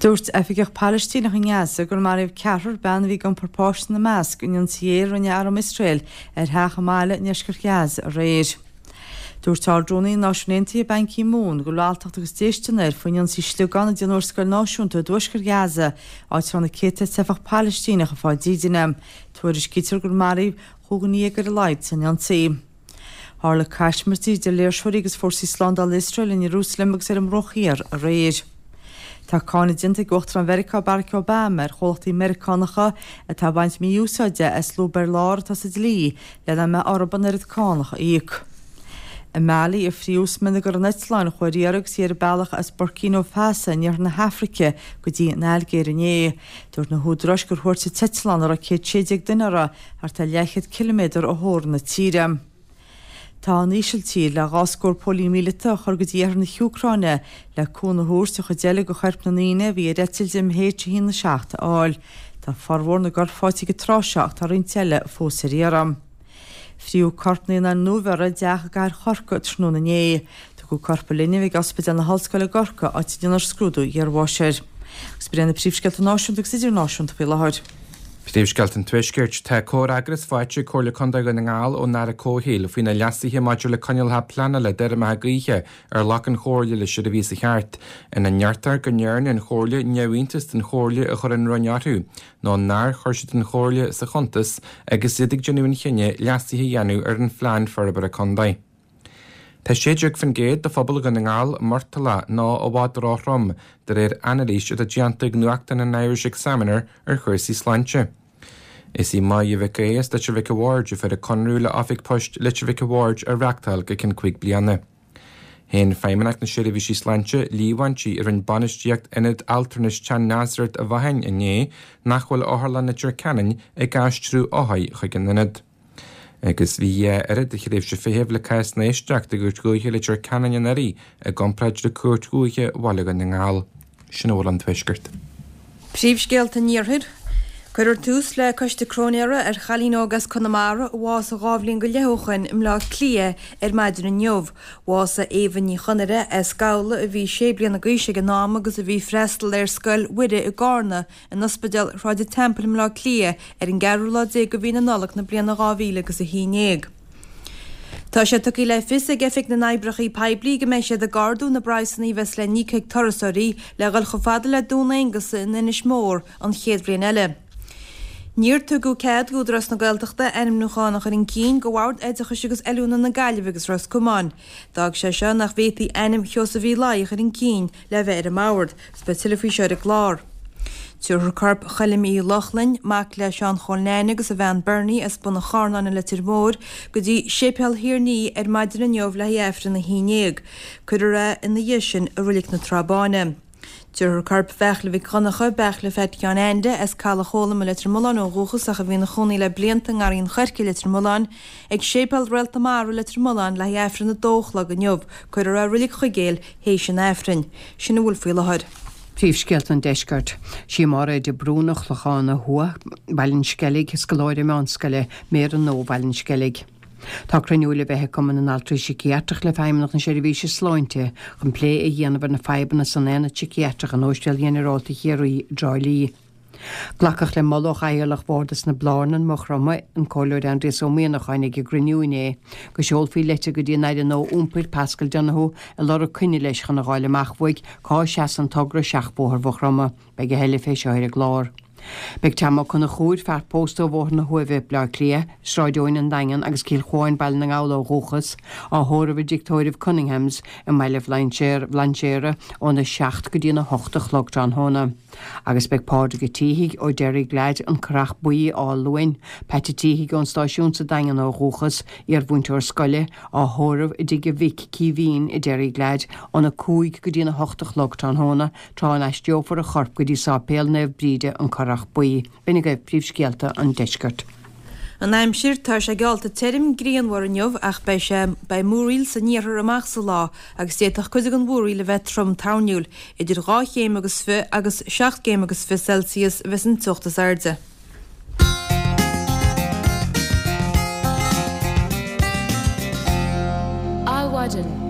Dúirt oifigeach Palaistíneach i nGaza gur maraíodh ceathrar, bean a bhí ag iompar páiste ina measc, in ionsaí aeir a rinne arm Iosrael ar theach i mbaile i ndeisceart Ghaza aréir. Dúirt Ard-Rúnaí na Náisiún Aontaithe Ban Ki Moon go bhfuil alltacht agus déistean air faoin ionsaí sliogán a déanadh ar scoil náisiúnta i dtuaisceart Ghaza, áit a raibh na céadta teifeach Palaistíneach ag fáil dídine. Tuairiscítear gur maraíodh 15 dhuine ar a laghad san ionsaí. Tharla caismirtí idir léirseoirí agus fórsaí slándála Iosrael in Iarúsailéim agus ar an mBruach Thiar aréir. Tá cáineadh déanta ag Uachtarán Mheiriceá Barack Obama ar chomhlachtaí Meiriceánacha atá ag baint mí-úsáide as lúb ar lár atá sa dlí le nach mbeadh orthu an oiread cánach a íoc. I Mali a fríodh smionagar an eitleáin a chuaigh ar iarraidh agus í ar a bealach as Burkina Faso in iarthar na hAfraice go dtí an Ailgéir inné. Dúirt na húdaráis gur thuairt an t-eitleán a raibh 116 duine uirthi thart ar leathchéad ciliméadar ó theorainn na tíre. Tá an Ísiltír le 2 scór póilín míleata a chur go dtí iarthar na hÚcráine le cúnamh a thabhairt an chuid eile de choirp na ndaoine a bhí ar eitilt MH17 a fháil. Tá formhór na gcorp faighte ag an tráth seo ach tá roinnt eile fós ar iarraidh. Fríodh corp naíonáin nuabheirthe i dteach i gcathair Chorcaí tráthnóna inné. Tugadh corp an linbh ag Ospidéal na hOllscoile i gCorcaigh áit a ndéanfar scrúdú iarbháis air. Agus b'in iad na príomhscéalta náisiúnta agus idirnáisiúnta faoi láthair. Príomhscéalta an Tuaiscirt. Tá comhfhreagras faighte ag Comhairle Contae Dhún na nGall ón Aire Comhshaoil faoi na leasuithe maidir le coinníollacha pleanála d'fheirmeacha gaoithe ar ghlac an Chomhairle leis ar an mhí seo thart, ina ndeirtear go ndearna an Chomhairle neamhiontas den chomhairle a chuir an Roinn orthu nó nár chuir siad an chomhairle sa chuntas agus iad ag déanamh an chinnidh leasuithe a dhéanamh ar an Phlean Forbartha Contae. Tá 16% de phobal Dhún na nGall murtallach nó i bhfad róthrom, de réir anailís atá déanta ag nuachtán an Irish Examiner ar chúrsaí sláinte. Is í Máire Mhic Aodha as Leitir Mhic a' Bhaird a fuair an conradh le Oifig Poist Leitir Mhic a' Bhaird a reachtáil go ceann 5 bliana. Shéan Feidhmeannacht na Seirbhísí Sláinte líomhaintí a rinne bainistíocht Ionad Altranais Chan Nazareth a Mhachain inné nach bhfuil Otharlann Leitir Ceanainn ag aistriú othair chuig an ionad. Agus bhí a oiread de thréimhse feithimh le cásanna éisteachta i gCúirt Dhúiche Leitir Ceanainn anuraidh i gcomparáid le Cúirt Dhúiche Bhaile Dhún na nGall. Sin a bhfuil ón Tuaisceart. Príomhscéalta an Iarthair. Cuirfear tús le coiste cróinéara ar chailín óg as Conamara a bhásaigh 2 bhliain go leith ó shoin i mBleá Cliath ar maidin inniu. Bhásaigh Éabha Ní Chonaire as Gabhla a bhí 6 bliana d'aois ag an am agus a bhí ag freastal ar Scoil Mhuire i gCarna in Ospidéal Shráid an Teampaill i mBleá Cliath ar an gceathrú lá déag de mhí na Nollag na bliana 2000 agus 11. Tá sé tugtha le fios ag Oifig na nOibreacha Poiblí go mbeidh siad ag ardú na bpraghsanna a bheas le n-íoc ag turasóirí le dhul chomh fada le Dún Aonghasa in Inis Mór an chéad bhliain eile. Níor tugadh cead d'Údarás na Gaeltachta ainmniúchán a chur chun cinn do Bhord Oideachais agus Oiliúna na Gaillimhe agus Ros Comáin. D'fhág sé seo nach bhféadfaí ainm Sheosaimh Uí Laoi a chur chun cinn le bheith ar an mbord. Is beidh tuilleadh faoi seo ar an gclár. Tabharfar corp Choilm Uí Lochlainn, mac le Seán Chóil Neaine agus a bhean Bernie as Bun an Charnáin i Leitir Móir, go dtí Séipéal Thír an Fhia ar maidin inniu le haghaidh Aifreann a 11. Cuirfear é ina dhiaidh sin i Roilig na Trá Báine. Tabharfar corp Bheairtle Mhic Dhonncha, Beairtle Pheait Sheáin Ainde, as Caladh Chóilm i Leitir Mealláin ó dhúchas ach a bhí ina chónaí le blianta i nGarraí an Choirce i Leitir Mealláin, ag Séipéal Réalt na Mara i Leitir Mealláin le haghaidh Aifreann a dó a chlog inniu. Cuirfear é i Roilig Chuigéil théis an Aifrinn. Sin a bhfuil faoi láthair. Príomhscéalta an Deiscirt. Sí Máiréad de Brún ó Chlochán Thuaidh, Baile an Sceilg, scoláire meánscoile, Méara nua Bhaile an Sceilg. Tá cruinniú le bheith ag Cumann na nAltraí Síciatrach le Feidhmeannacht na Seirbhíse Sláinte chun plé a dhéanamh ar na fadhbanna san Aonad Síciatrach in Óispidéal Ghinearálta Chiarraí i dTrá Lí. Glacadh le moladh ó Chathaoirleach Bhardas na Blarnan, Maigh Chromtha, an Comhairleoir Aindrias Ó Mianacháin ag an gcruinniú inné, go seolfaí leitir go dtí an Aire nua Iompair, Paschal Donohoe, ag lorg coinne leis chun a dh'fháil amach uaidh cá seasann togra Seachbhóthar Mhaigh Chromtha. Beidh a thuilleadh fé seo ar an gclár. Beidh Tom Ó Conchúir, fear pósta ó Bhóthar na hUaimhe, Bleá Cliath, Sráid Eoin, An Daingean agus Cill Chuáin, Baile na nGall ó dhúchas, á thórramh i dTigh Tórraimh Cunninghams i mBaile Bhlainséir óna 7 go dtí an 8 a chlog tráthnóna. Agus beidh Pádraig Ó Títhigh ó Derryglad, An Currach Buí, Áth Luain, Peait a' Títhigh ón Stáisiún sa Daingean ó dhúchas, iarmhúinteoir scoile, á thórramh i dtigh a mhic, Caoimhín, i Derryglad, óna 5 go dtí'n 8 a chlog tráthnóna, tráth a n-aistreofar a chorp go dtí Sáipéal Naomh Bríde, An Currach Buí. B'in agaibh príomhscéalta an deiscirt. An aimsir, Tá sé geallta tirim grianmhar inniu ach beidh sé beidh múraíl san iarthar amach sa lá agus d'fhéadfadh cuid den mhúraíl a bheith trom toirniúil. Idir 2 chéim agus fi agus 7 gcéim agus fi Celsius a bheas an teocht is airde. Adhmhaidin.